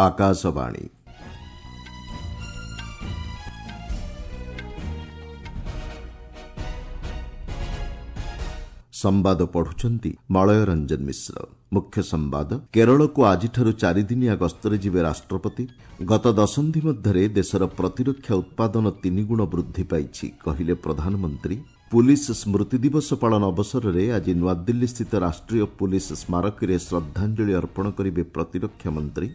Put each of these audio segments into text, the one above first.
ଆକାଶବାଣୀ। ସମ୍ବାଦ ପଢୁଛନ୍ତି ମଳୟ ରଞ୍ଜନ ମିଶ୍ର। ମୁଖ୍ୟ ସମ୍ବାଦ। କେରଳକୁ ଆଜିଠାରୁ ଚାରିଦିନିଆ ଗସ୍ତରେ ଯିବେ ରାଷ୍ଟ୍ରପତି। ଗତ ଦଶନ୍ଧି ମଧ୍ୟରେ ଦେଶର ପ୍ରତିରକ୍ଷା ଉତ୍ପାଦନ ତିନିଗୁଣ ବୃଦ୍ଧି ପାଇଛି, କହିଲେ ପ୍ରଧାନମନ୍ତ୍ରୀ। ପୁଲିସ ସ୍ମୃତି ଦିବସ ପାଳନ ଅବସରରେ ଆଜି ନୂଆଦିଲ୍ଲୀସ୍ଥିତ ରାଷ୍ଟ୍ରୀୟ ପୁଲିସ ସ୍ମାରକୀରେ ଶ୍ରଦ୍ଧାଞ୍ଜଳି ଅର୍ପଣ କରିବେ ପ୍ରତିରକ୍ଷା ମନ୍ତ୍ରୀ।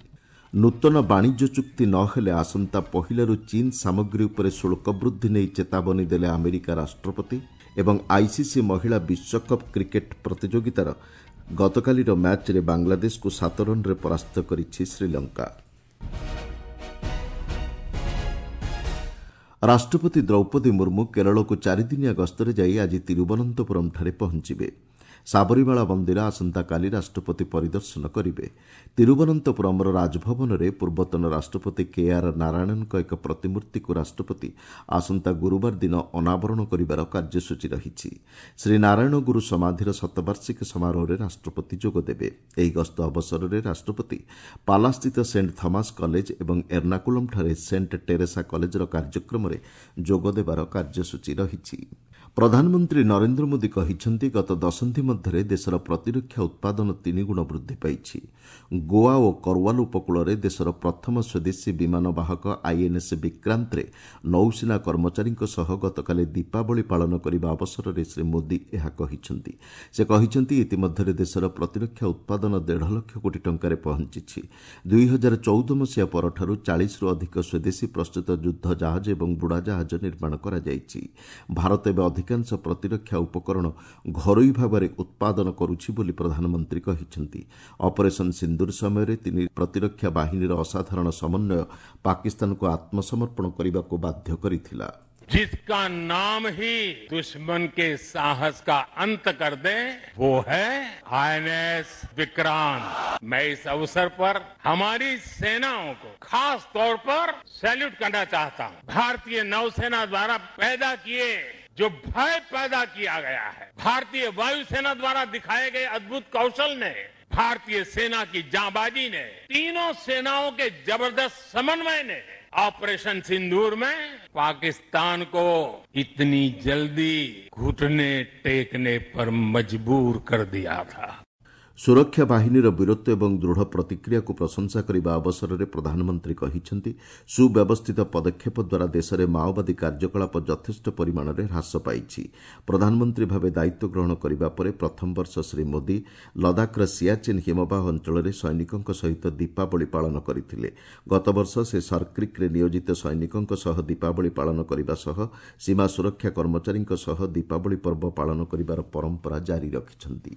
ନୂତନ ବାଣିଜ୍ୟ ଚୁକ୍ତି ନ ହେଲେ ଆସନ୍ତା ପହିଲାରୁ ଚୀନ ସାମଗ୍ରୀ ଉପରେ ଶୁଳ୍କ ବୃଦ୍ଧି ନେଇ ଚେତାବନୀ ଦେଲେ ଆମେରିକା ରାଷ୍ଟ୍ରପତି। ଏବଂ ଆଇସିସି ମହିଳା ବିଶ୍ୱକପ୍ କ୍ରିକେଟ୍ ପ୍ରତିଯୋଗିତାର ଗତକାଲିର ମ୍ୟାଚ୍ରେ ବାଂଲାଦେଶକୁ 7 ରନ୍ରେ ପରାସ୍ତ କରିଛି ଶ୍ରୀଲଙ୍କା। ରାଷ୍ଟ୍ରପତି ଦ୍ରୌପଦୀ ମୁର୍ମୁ କେରଳକୁ ଚାରିଦିନିଆ ଗସ୍ତରେ ଯାଇ ଆଜି ତିରୁବନନ୍ତପୁରମ୍ଠାରେ ପହଞ୍ଚିବେ। ସାବରିମାଳା ମନ୍ଦିର ଆସନ୍ତାକାଲି ରାଷ୍ଟ୍ରପତି ପରିଦର୍ଶନ କରିବେ। ତିରୁବନନ୍ତପୁରମ୍ର ରାଜଭବନରେ ପୂର୍ବତନ ରାଷ୍ଟ୍ରପତି କେଆର୍ ନାରାୟଣନଙ୍କ ଏକ ପ୍ରତିମୂର୍ତ୍ତିକୁ ରାଷ୍ଟ୍ରପତି ଆସନ୍ତା ଗୁରୁବାର ଦିନ ଅନାବରଣ କରିବାର କାର୍ଯ୍ୟସୂଚୀ ରହିଛି। ଶ୍ରୀ ନାରାୟଣ ଗୁରୁ ସମାଧିର ଶତବାର୍ଷିକୀ ସମାରୋହରେ ରାଷ୍ଟ୍ରପତି ଯୋଗଦେବେ। ଏହି ଗସ୍ତ ଅବସରରେ ରାଷ୍ଟ୍ରପତି ପାଲାସ୍ଥିତ ସେଣ୍ଟ ଥମାସ କଲେଜ ଏବଂ ଏର୍ଣ୍ଣାକୁଲମ୍ଠାରେ ସେଣ୍ଟ ଟେରେସା କଲେଜର କାର୍ଯ୍ୟକ୍ରମରେ ଯୋଗଦେବାର କାର୍ଯ୍ୟସୂଚୀ ରହିଛି। ପ୍ରଧାନମନ୍ତ୍ରୀ ନରେନ୍ଦ୍ର ମୋଦି କହିଛନ୍ତି, ଗତ ଦଶନ୍ଧି ମଧ୍ୟରେ ଦେଶର ପ୍ରତିରକ୍ଷା ଉତ୍ପାଦନ ତିନିଗୁଣ ବୃଦ୍ଧି ପାଇଛି। ଗୋଆ ଓ କରୱାଲ ଉପକୂଳରେ ଦେଶର ପ୍ରଥମ ସ୍ୱଦେଶୀ ବିମାନ ବାହକ ଆଇଏନ୍ଏସ୍ ବିକ୍ରାନ୍ତରେ ନୌସେନା କର୍ମଚାରୀଙ୍କ ସହ ଗତକାଲି ଦୀପାବଳି ପାଳନ କରିବା ଅବସରରେ ଶ୍ରୀ ମୋଦି ଏହା କହିଛନ୍ତି। ସେ କହିଛନ୍ତି, ଇତିମଧ୍ୟରେ ଦେଶର ପ୍ରତିରକ୍ଷା ଉତ୍ପାଦନ 1.5 ଲକ୍ଷ କୋଟି ଟଙ୍କାରେ ପହଞ୍ଚିଛି। 2014 ମସିହା ପରଠାରୁ 40ରୁ ଅଧିକ ସ୍ୱଦେଶୀ ପ୍ରସ୍ତୁତ ଯୁଦ୍ଧ ଜାହାଜ ଏବଂ ବୁଡ଼ାଜାହାଜ ନିର୍ମାଣ କରାଯାଇଛି। ଭାରତ ଏବେ ଅଧିକାଂଶ ପ୍ରତିରକ୍ଷା ଉପକରଣ ଘରୋଇ ଭାବରେ ଉତ୍ପାଦନ କରୁଛି ବୋଲି ପ୍ରଧାନମନ୍ତ୍ରୀ କହିଛନ୍ତି। ଅପରେସନ୍ ସିନ୍ଦୁର ସମୟରେ ତିନି ପ୍ରତିରକ୍ଷା ବାହିନୀର ଅସାଧାରଣ ସମନ୍ୱୟ ପାକିସ୍ତାନକୁ ଆତ୍ମସମର୍ପଣ କରିବାକୁ ବାଧ୍ୟ କରିଥିଲା। जिसका नाम ही दुश्मन के साहस का अंत कर दे, वो है आईएनएस विक्रांत। मैं इस अवसर पर हमारी सेनाओं को खास तौर पर सैल्यूट करना चाहता हूं। भारतीय नौसेना द्वारा पैदा किए जो भय पैदा किया गया है, भारतीय वायुसेना द्वारा दिखाए गए अद्भुत कौशल ने, भारतीय सेना की जांबाजी ने, तीनों सेनाओं के जबरदस्त समन्वय ने ऑपरेशन सिंदूर में पाकिस्तान को इतनी जल्दी घुटने टेकने पर मजबूर कर दिया था। ସୁରକ୍ଷା ବାହିନୀର ବୀରତ୍ୱ ଏବଂ ଦୃଢ଼ ପ୍ରତିକ୍ରିୟାକୁ ପ୍ରଶଂସା କରିବା ଅବସରରେ ପ୍ରଧାନମନ୍ତ୍ରୀ କହିଛନ୍ତି, ସୁବ୍ୟବସ୍ଥିତ ପଦକ୍ଷେପ ଦ୍ୱାରା ଦେଶରେ ମାଓବାଦୀ କାର୍ଯ୍ୟକଳାପ ଯଥେଷ୍ଟ ପରିମାଣରେ ହ୍ରାସ ପାଇଛି। ପ୍ରଧାନମନ୍ତ୍ରୀ ଭାବେ ଦାୟିତ୍ୱ ଗ୍ରହଣ କରିବା ପରେ ପ୍ରଥମ ବର୍ଷ ଶ୍ରୀ ମୋଦି ଲଦାଖର ସିଆଚେନ୍ ହିମବାହ ଅଞ୍ଚଳରେ ସୈନିକଙ୍କ ସହିତ ଦୀପାବଳି ପାଳନ କରିଥିଲେ। ଗତବର୍ଷ ସେ ସରକ୍ରିକ୍ରେ ନିୟୋଜିତ ସୈନିକଙ୍କ ସହ ଦୀପାବଳି ପାଳନ କରିବା ସହ ସୀମା ସୁରକ୍ଷା କର୍ମଚାରୀଙ୍କ ସହ ଦୀପାବଳି ପର୍ବ ପାଳନ କରିବାର ପରମ୍ପରା ଜାରି ରଖିଛନ୍ତି।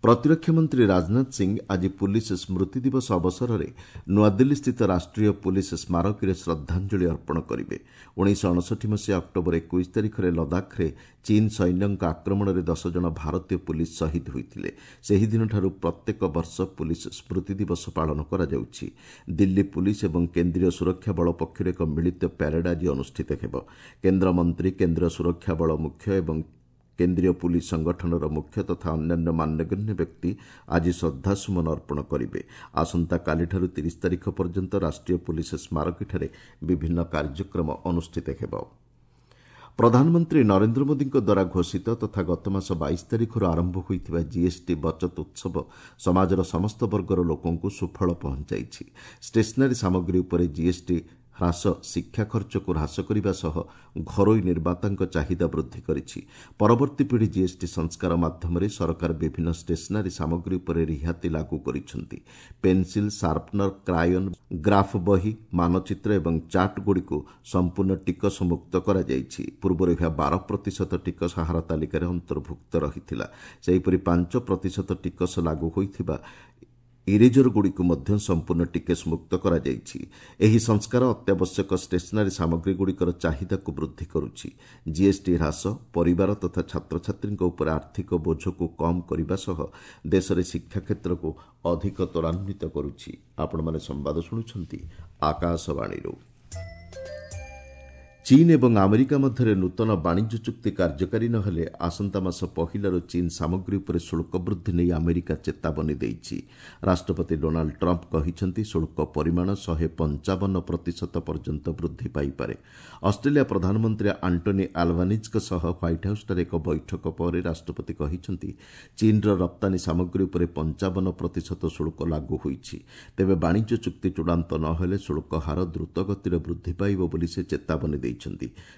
ପ୍ରତିରକ୍ଷା ମନ୍ତ୍ରୀ ରାଜନାଥ ସିଂ ଆଜି ପୁଲିସ ସ୍ମୃତି ଦିବସ ଅବସରରେ ନୂଆଦିଲ୍ଲୀସ୍ଥିତ ରାଷ୍ଟ୍ରୀୟ ପୁଲିସ ସ୍ମାରକୀରେ ଶ୍ରଦ୍ଧାଞ୍ଜଳି ଅର୍ପଣ କରିବେ। 1959 ମସିହା ଅକ୍ଟୋବର 21 ତାରିଖରେ ଲଦାଖରେ ଚୀନ ସୈନ୍ୟଙ୍କ ଆକ୍ରମଣରେ 10 ଜଣ ଭାରତୀୟ ପୁଲିସ ଶହୀଦ ହୋଇଥିଲେ। ସେହିଦିନଠାରୁ ପ୍ରତ୍ୟେକ ବର୍ଷ ପୁଲିସ ସ୍ମୃତି ଦିବସ ପାଳନ କରାଯାଉଛି। ଦିଲ୍ଲୀ ପୁଲିସ ଏବଂ କେନ୍ଦ୍ରୀୟ ସୁରକ୍ଷା ବଳ ପକ୍ଷରୁ ଏକ ମିଳିତ ପ୍ୟାରେଡ୍ ଆଜି ଅନୁଷ୍ଠିତ ହେବ। କେନ୍ଦ୍ରମନ୍ତ୍ରୀ, କେନ୍ଦ୍ର ସୁରକ୍ଷା ବଳ ମୁଖ୍ୟ ଏବଂ କେନ୍ଦ୍ରୀୟ ପୁଲିସ ସଂଗଠନର ମୁଖ୍ୟ ତଥା ଅନ୍ୟାନ୍ୟ ମାନ୍ୟଗଣ୍ୟ ବ୍ୟକ୍ତି ଆଜି ଶ୍ରଦ୍ଧାସୁମନ ଅର୍ପଣ କରିବେ। ଆସନ୍ତାକାଲିଠାରୁ 30 ତାରିଖ ପର୍ଯ୍ୟନ୍ତ ରାଷ୍ଟ୍ରୀୟ ପୁଲିସ ସ୍ମାରକୀଠାରେ ବିଭିନ୍ନ କାର୍ଯ୍ୟକ୍ରମ ଅନୁଷ୍ଠିତ ହେବ। ପ୍ରଧାନମନ୍ତ୍ରୀ ନରେନ୍ଦ୍ର ମୋଦିଙ୍କ ଦ୍ୱାରା ଘୋଷିତ ତଥା ଗତମାସ 22 ତାରିଖରୁ ଆରମ୍ଭ ହୋଇଥିବା ଜିଏସ୍ଟି ବଚତ ଉତ୍ସବ ସମାଜର ସମସ୍ତ ବର୍ଗର ଲୋକଙ୍କୁ ସୁଫଳ ପହଞ୍ଚାଇଛି। ଷ୍ଟେସନାରୀ ସାମଗ୍ରୀ ଉପରେ ଜିଏସ୍ଟି ହ୍ରାସ ଶିକ୍ଷା ଖର୍ଚ୍ଚକୁ ହ୍ରାସ କରିବା ସହ ଘରୋଇ ନିର୍ମାତାଙ୍କ ଚାହିଦା ବୃଦ୍ଧି କରିଛି। ପରବର୍ତ୍ତୀ ପିଢ଼ି ଜିଏସ୍ଟି ସଂସ୍କାର ମାଧ୍ୟମରେ ସରକାର ବିଭିନ୍ନ ଷ୍ଟେସନାରୀ ସାମଗ୍ରୀ ଉପରେ ରିହାତି ଲାଗୁ କରିଛନ୍ତି। ପେନ୍ସିଲ୍, ସାର୍ପନର, କ୍ରାୟନ୍, ଗ୍ରାଫ୍ ବହି, ମାନଚିତ୍ର ଏବଂ ଚାର୍ଟଗୁଡ଼ିକୁ ସମ୍ପୂର୍ଣ୍ଣ ଟିକସମୁକ୍ତ କରାଯାଇଛି। ପୂର୍ବରୁ ଏହା 12% ଟିକସ ହାର ତାଲିକାରେ ଅନ୍ତର୍ଭୁକ୍ତ ରହିଥିଲା। ସେହିପରି 5% ଟିକସ ଲାଗୁ ହୋଇଥିବା ଇରେଜରଗୁଡ଼ିକୁ ମଧ୍ୟ ସମ୍ପୂର୍ଣ୍ଣ ଟିକସମୁକ୍ତ କରାଯାଇଛି। ଏହି ସଂସ୍କାର ଅତ୍ୟାବଶ୍ୟକ ଷ୍ଟେସନାରୀ ସାମଗ୍ରୀଗୁଡ଼ିକର ଚାହିଦାକୁ ବୃଦ୍ଧି କରୁଛି। ଜିଏସ୍ଟି ହ୍ରାସ ପରିବାର ତଥା ଛାତ୍ରଛାତ୍ରୀଙ୍କ ଉପରେ ଆର୍ଥିକ ବୋଝକୁ କମ୍ କରିବା ସହ ଦେଶରେ ଶିକ୍ଷା କ୍ଷେତ୍ରକୁ ଅଧିକ ତ୍ୱରାନ୍ୱିତ କରୁଛି। ଆପଣମାନେ ସମ୍ବାଦ ଶୁଣୁଛନ୍ତି ଆକାଶବାଣୀରୁ। ଚୀନ୍ ଏବଂ ଆମେରିକା ମଧ୍ୟରେ ନୂତନ ବାଣିଜ୍ୟ ଚୁକ୍ତି କାର୍ଯ୍ୟକାରୀ ନ ହେଲେ ଆସନ୍ତା ମାସ ପହିଲାରୁ ଚୀନ୍ ସାମଗ୍ରୀ ଉପରେ ଶୁଳ୍କ ବୃଦ୍ଧି ନେଇ ଆମେରିକା ଚେତାବନୀ ଦେଇଛି। ରାଷ୍ଟ୍ରପତି ଡୋନାଲ୍ଡ ଟ୍ରମ୍ପ କହିଛନ୍ତି, ଶୁଳ୍କ ପରିମାଣ 155% ପର୍ଯ୍ୟନ୍ତ ବୃଦ୍ଧି ପାଇପାରେ। ଅଷ୍ଟ୍ରେଲିଆ ପ୍ରଧାନମନ୍ତ୍ରୀ ଆଣ୍ଟୋନି ଆଲବାନିଜ୍ଙ୍କ ସହ ହ୍ୱାଇଟ୍ ହାଉସ୍ଠାରେ ଏକ ବୈଠକ ପରେ ରାଷ୍ଟ୍ରପତି କହିଛନ୍ତି, ଚୀନ୍ର ରପ୍ତାନୀ ସାମଗ୍ରୀ ଉପରେ 55% ଶୁଳ୍କ ଲାଗୁ ହୋଇଛି। ତେବେ ବାଣିଜ୍ୟ ଚୁକ୍ତି ଚୂଡ଼ାନ୍ତ ନ ହେଲେ ଶୁଳ୍କ ହାର ଦ୍ରୁତଗତିରେ ବୃଦ୍ଧି ପାଇବ ବୋଲି ସେ ଚେତାବନୀ ଦେଇଛନ୍ତି।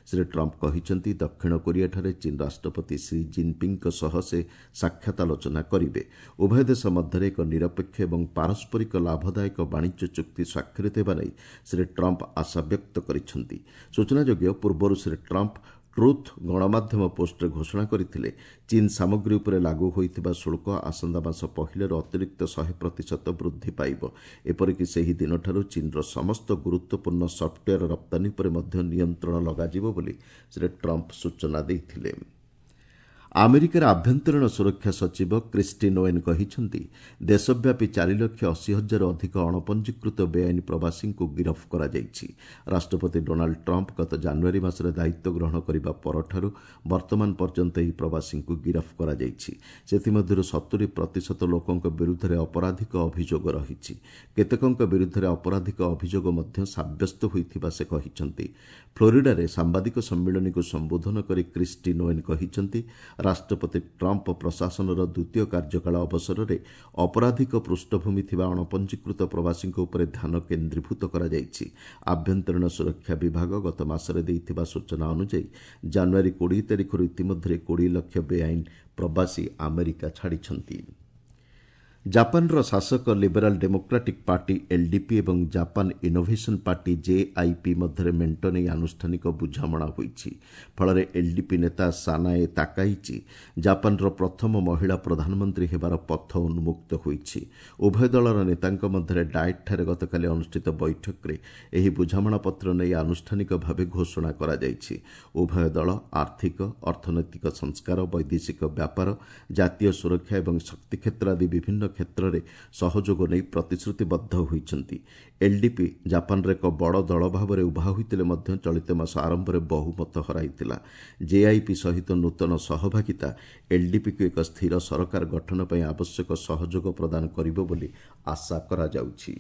ଶ୍ରୀ ଟ୍ରମ୍ପ କହିଛନ୍ତି, ଦକ୍ଷିଣ କୋରିଆଠାରେ ଚୀନ୍ ରାଷ୍ଟ୍ରପତି ସି ଜିନ୍ପିଙ୍ଗ୍ଙ୍କ ସହ ସେ ସାକ୍ଷାତ ଆଲୋଚନା କରିବେ। ଉଭୟ ଦେଶ ମଧ୍ୟରେ ଏକ ନିରପେକ୍ଷ ଏବଂ ପାରସ୍ପରିକ ଲାଭଦାୟକ ବାଣିଜ୍ୟ ଚୁକ୍ତି ସ୍ୱାକ୍ଷରିତ ହେବା ନେଇ ଶ୍ରୀ ଟ୍ରମ୍ପ ଆଶାବ୍ୟକ୍ତ କରିଛନ୍ତି। ସୂଚନାଯୋଗ୍ୟ, ପୂର୍ବରୁ ଶ୍ରୀ ଟ୍ରମ୍ପ ଟ୍ରୁଥ୍ ଗଣମାଧ୍ୟମ ପୋଷ୍ଟରେ ଘୋଷଣା କରିଥିଲେ, ଚୀନ୍ ସାମଗ୍ରୀ ଉପରେ ଲାଗୁ ହୋଇଥିବା ଶୁଳ୍କ ଆସନ୍ତା ମାସ ପହିଲାରୁ ଅତିରିକ୍ତ 100% ବୃଦ୍ଧି ପାଇବ। ଏପରିକି ସେହି ଦିନଠାରୁ ଚୀନ୍ର ସମସ୍ତ ଗୁରୁତ୍ୱପୂର୍ଣ୍ଣ ସଫ୍ଟୱେୟାର ରପ୍ତାନୀ ଉପରେ ମଧ୍ୟ ନିୟନ୍ତ୍ରଣ ଲଗାଯିବ ବୋଲି ଶ୍ରୀ ଟ୍ରମ୍ପ ସୂଚନା ଦେଇଥିଲେ। ଆମେରିକାର ଆଭ୍ୟନ୍ତରୀଣ ସୁରକ୍ଷା ସଚିବ କ୍ରିଷ୍ଟି ନୋଏନ୍ କହିଛନ୍ତି, ଦେଶବ୍ୟାପୀ 4,80,000ରୁ ଅଧିକ ଅଣପଞ୍ଜୀକୃତ ବେଆଇନ ପ୍ରବାସୀଙ୍କୁ ଗିରଫ କରାଯାଇଛି। ରାଷ୍ଟ୍ରପତି ଡୋନାଲ୍ଡ ଟ୍ରମ୍ପ ଗତ ଜାନୁଆରୀ ମାସରେ ଦାୟିତ୍ୱ ଗ୍ରହଣ କରିବା ପରଠାରୁ ବର୍ତ୍ତମାନ ପର୍ଯ୍ୟନ୍ତ ଏହି ପ୍ରବାସୀଙ୍କୁ ଗିରଫ କରାଯାଇଛି। ସେଥିମଧ୍ୟରୁ 70% ଲୋକଙ୍କ ବିରୁଦ୍ଧରେ ଅପରାଧିକ ଅଭିଯୋଗ ରହିଛି। କେତେକଙ୍କ ବିରୁଦ୍ଧରେ ଅପରାଧିକ ଅଭିଯୋଗ ମଧ୍ୟ ସାବ୍ୟସ୍ତ ହୋଇଥିବା ସେ କହିଛନ୍ତି। ଫ୍ଲୋରିଡାରେ ସାମ୍ବାଦିକ ସମ୍ମିଳନୀକୁ ସମ୍ବୋଧନ କରି କ୍ରିଷ୍ଟି ନୋଏନ୍ କହିଛନ୍ତି, ରାଷ୍ଟ୍ରପତି ଟ୍ରମ୍ପ ପ୍ରଶାସନର ଦ୍ୱିତୀୟ କାର୍ଯ୍ୟକାଳ ଅବସରରେ ଅପରାଧିକ ପୃଷ୍ଠଭୂମି ଥିବା ଅଣପଞ୍ଜୀକୃତ ପ୍ରବାସୀଙ୍କ ଉପରେ ଧ୍ୟାନ କେନ୍ଦ୍ରୀଭୂତ କରାଯାଇଛି। ଆଭ୍ୟନ୍ତରୀଣ ସୁରକ୍ଷା ବିଭାଗ ଗତ ମାସରେ ଦେଇଥିବା ସୂଚନା ଅନୁଯାୟୀ ଜାନୁଆରୀ 20 ତାରିଖରୁ ଇତିମଧ୍ୟରେ 20 ଲକ୍ଷ ବେଆଇନ ପ୍ରବାସୀ ଆମେରିକା ଛାଡ଼ିଛନ୍ତି। ଜାପାନର ଶାସକ ଲିବେରାଲ୍ ଡେମୋକ୍ରାଟିକ୍ ପାର୍ଟି ଏଲ୍ଡିପି ଏବଂ ଜାପାନ ଇନୋଭେସନ୍ ପାର୍ଟି ଜେଆଇପି ମଧ୍ୟରେ ମେଣ୍ଟ ନେଇ ଆନୁଷ୍ଠାନିକ ବୁଝାମଣା ହୋଇଛି। ଫଳରେ ଏଲ୍ଡିପି ନେତା ସାନାଏ ତାକାଇଚି ଜାପାନର ପ୍ରଥମ ମହିଳା ପ୍ରଧାନମନ୍ତ୍ରୀ ହେବାର ପଥ ଉନ୍ମୁକ୍ତ ହୋଇଛି। ଉଭୟ ଦଳର ନେତାଙ୍କ ମଧ୍ୟରେ ଡାଏଟ୍ଠାରେ ଗତକାଲି ଅନୁଷ୍ଠିତ ବୈଠକରେ ଏହି ବୁଝାମଣାପତ୍ର ନେଇ ଆନୁଷ୍ଠାନିକ ଭାବେ ଘୋଷଣା କରାଯାଇଛି। ଉଭୟ ଦଳ ଆର୍ଥିକ, ଅର୍ଥନୈତିକ ସଂସ୍କାର, ବୈଦେଶିକ ବ୍ୟାପାର, ଜାତୀୟ ସୁରକ୍ଷା ଏବଂ ଶକ୍ତି କ୍ଷେତ୍ର ଆଦି ବିଭିନ୍ନ କ୍ଷେତ୍ରରେ ସହଯୋଗ ନେଇ ପ୍ରତିଶ୍ରୁତିବଦ୍ଧ ହୋଇଛନ୍ତି। ଏଲ୍ଡିପି ଜାପାନର ଏକ ବଡ଼ ଦଳ ଭାବରେ ଉଭା ହୋଇଥିଲେ ମଧ୍ୟ ଚଳିତ ମାସ ଆରମ୍ଭରେ ବହୁମତ ହରାଇଥିଲା। ଜେଆଇପି ସହିତ ନୂତନ ସହଭାଗିତା ଏଲ୍ଡିପିକୁ ଏକ ସ୍ଥିର ସରକାର ଗଠନ ପାଇଁ ଆବଶ୍ୟକ ସହଯୋଗ ପ୍ରଦାନ କରିବ ବୋଲି ଆଶା କରାଯାଉଛି।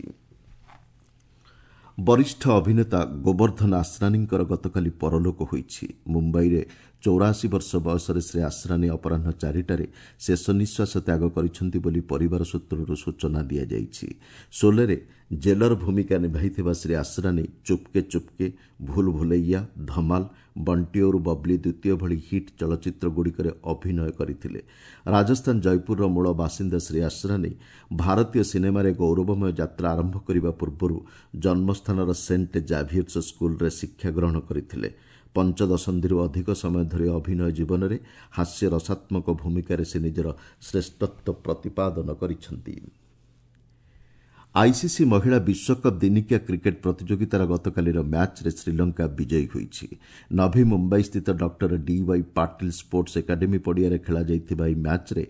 ବରିଷ୍ଠ ଅଭିନେତା ଗୋବର୍ଦ୍ଧନ ଆସ୍ରାନୀଙ୍କର ଗତକାଲି ପରଲୋକ ହୋଇଛି। ମୁମ୍ବାଇରେ 84 ବର୍ଷ ବୟସରେ ଶ୍ରୀ ଆସ୍ରାନୀ ଅପରାହ୍ନ 4ଟାରେ ଶେଷ ନିଃଶ୍ୱାସ ତ୍ୟାଗ କରିଛନ୍ତି ବୋଲି ପରିବାର ସୂତ୍ରରୁ ସୂଚନା ଦିଆଯାଇଛି। ସୋଲେରେ ଜେଲର ଭୂମିକା ନିଭାଇଥିବା ଶ୍ରୀ ଆସ୍ରାନୀ ଚୁପ୍କେ ଚୁପ୍କେ, ଭୁଲ୍ ଭୁଲୈୟା, ଧମାଲ, ବଣ୍ଟି ଔର ବବ୍ଲି ଦ୍ୱିତୀୟ ଭଳି ହିଟ୍ ଚଳଚ୍ଚିତ୍ରଗୁଡ଼ିକରେ ଅଭିନୟ କରିଥିଲେ। ରାଜସ୍ଥାନ ଜୟପୁରର ମୂଳ ବାସିନ୍ଦା ଶ୍ରୀ ଆସ୍ରାନୀ ଭାରତୀୟ ସିନେମାରେ ଗୌରବମୟ ଯାତ୍ରା ଆରମ୍ଭ କରିବା ପୂର୍ବରୁ ଜନ୍ମସ୍ଥାନର ସେଣ୍ଟ ଜାଭିୟର୍ସ ସ୍କୁଲରେ ଶିକ୍ଷା ଗ୍ରହଣ କରିଥିଲେ। ପଞ୍ଚଦଶନ୍ଧିରୁ ଅଧିକ ସମୟ ଧରି ଅଭିନୟ ଜୀବନରେ ହାସ୍ୟରସାତ୍ମକ ଭୂମିକାରେ ସେ ନିଜର ଶ୍ରେଷ୍ଠତ୍ୱ ପ୍ରତିପାଦନ କରିଛନ୍ତି। ଆଇସିସି ମହିଳା ବିଶ୍ୱକପ୍ ଦିନିକିଆ କ୍ରିକେଟ୍ ପ୍ରତିଯୋଗିତାର ଗତକାଲିର ମ୍ୟାଚ୍ରେ ଶ୍ରୀଲଙ୍କା ବିଜୟୀ ହୋଇଛି। ନଭି ମୁମ୍ବାଇସ୍ଥିତ doctor D Y Patil sports academy ପଡ଼ିଆରେ ଖେଳାଯାଇଥିବା ଏହି ମ୍ୟାଚ୍ରେ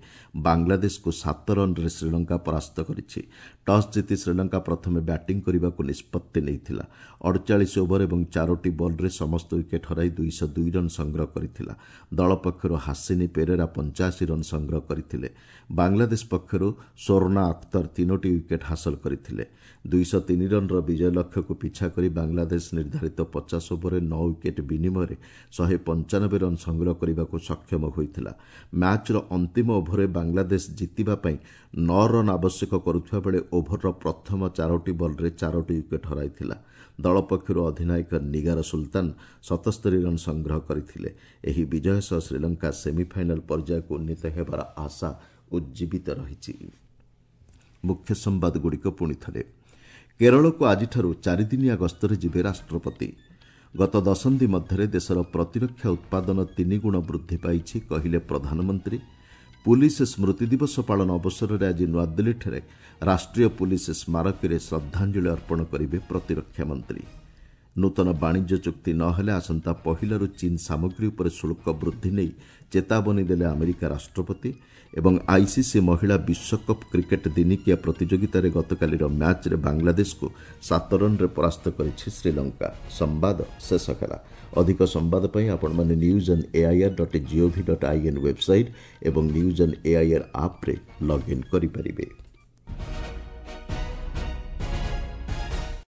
ବାଂଲାଦେଶକୁ 7 ରନ୍ରେ ଶ୍ରୀଲଙ୍କା ପରାସ୍ତ କରିଛି। ଟସ୍ ଜିତି ଶ୍ରୀଲଙ୍କା ପ୍ରଥମେ ବ୍ୟାଟିଂ କରିବାକୁ ନିଷ୍ପତ୍ତି ନେଇଥିଲା। 48 ଓଭର ଏବଂ 4ଟି ବଲ୍ରେ ସମସ୍ତ ୱିକେଟ୍ ହରାଇ 202 ରନ୍ ସଂଗ୍ରହ କରିଥିଲା। ଦଳ ପକ୍ଷରୁ ହାସିନି ପେରେରା 85 ରନ୍ ସଂଗ୍ରହ କରିଥିଲେ। ବାଂଲାଦେଶ ପକ୍ଷରୁ ସୋର୍ଣ୍ଣା ଅଖତର 3ଟି ୱିକେଟ୍ ହାସଲ କରିଥିଲେ। 203 ରନ୍ର ବିଜୟ ଲକ୍ଷ୍ୟକୁ ପିଛା କରି ବାଂଲାଦେଶ ନିର୍ଦ୍ଧାରିତ 50 ଓଭରରେ 9 ୱିକେଟ୍ ବିନିମୟରେ 195 ରନ୍ ସଂଗ୍ରହ କରିବାକୁ ସକ୍ଷମ ହୋଇଥିଲା। ମ୍ୟାଚ୍ର ଅନ୍ତିମ ଓଭରରେ ବାଂଲାଦେଶ ଜିତିବା ପାଇଁ 9 ରନ୍ ଆବଶ୍ୟକ କରୁଥିବା ବେଳେ ଓଭରର ପ୍ରଥମ 4ଟି ବଲ୍ରେ 4ଟି ୱିକେଟ୍ ହରାଇଥିଲା। ଦଳ ପକ୍ଷରୁ ଅଧିନାୟକ ନିଗାର ସୁଲତାନ 77 ରନ୍ ସଂଗ୍ରହ କରିଥିଲେ। ଏହି ବିଜୟ ସହ ଶ୍ରୀଲଙ୍କା ସେମିଫାଇନାଲ୍ ପର୍ଯ୍ୟାୟକୁ ଉନ୍ନୀତ ହେବାର ଆଶା ଉଜ୍ଜୀବିତ ରହିଛି। ମୁଖ୍ୟ ସମ୍ବାଦଗୁଡ଼ିକ ପୁଣି ଥରେ। କେରଳକୁ ଆଜିଠାରୁ 4 ଦିନିଆ ଗସ୍ତରେ ଯିବେ ରାଷ୍ଟ୍ରପତି। ଗତ ଦଶନ୍ଧି ମଧ୍ୟରେ ଦେଶର ପ୍ରତିରକ୍ଷା ଉତ୍ପାଦନ ତିନିଗୁଣ ବୃଦ୍ଧି ପାଇଛି, କହିଲେ ପ୍ରଧାନମନ୍ତ୍ରୀ। ପୁଲିସ ସ୍ମୃତି ଦିବସ ପାଳନ ଅବସରରେ ଆଜି ନୂଆଦିଲ୍ଲୀଠାରେ ରାଷ୍ଟ୍ରୀୟ ପୁଲିସ ସ୍ମାରକୀରେ ଶ୍ରଦ୍ଧାଞ୍ଜଳି ଅର୍ପଣ କରିବେ ପ୍ରତିରକ୍ଷା ମନ୍ତ୍ରୀ। ନୂତନ ବାଣିଜ୍ୟ ଚୁକ୍ତି ନ ହେଲେ ଆସନ୍ତା ପହିଲାରୁ ଚୀନ୍ ସାମଗ୍ରୀ ଉପରେ ଶୁଳ୍କ ବୃଦ୍ଧି ନେଇ ଚେତାବନୀ ଦେଲେ ଆମେରିକା ରାଷ୍ଟ୍ରପତି। ଏବଂ ଆଇସିସି ମହିଳା ବିଶ୍ୱକପ୍ କ୍ରିକେଟ୍ ଦିନିକିଆ ପ୍ରତିଯୋଗିତାରେ ଗତକାଲିର ମ୍ୟାଚ୍ରେ ବାଂଲାଦେଶକୁ 7 ରନ୍ରେ ପରାସ୍ତ କରିଛି ଶ୍ରୀଲଙ୍କା। ସମ୍ବାଦ ଶେଷ ହେଲା। ଅଧିକ ସମ୍ବାଦ ପାଇଁ ଆପଣମାନେ news on AIR dot gov dot in website ଏବଂ ନ୍ୟୁଜ୍ ଅନ୍ ଏଆଇଆର୍ ଆପ୍ରେ ଲଗ୍ଇନ୍ କରିପାରିବେ।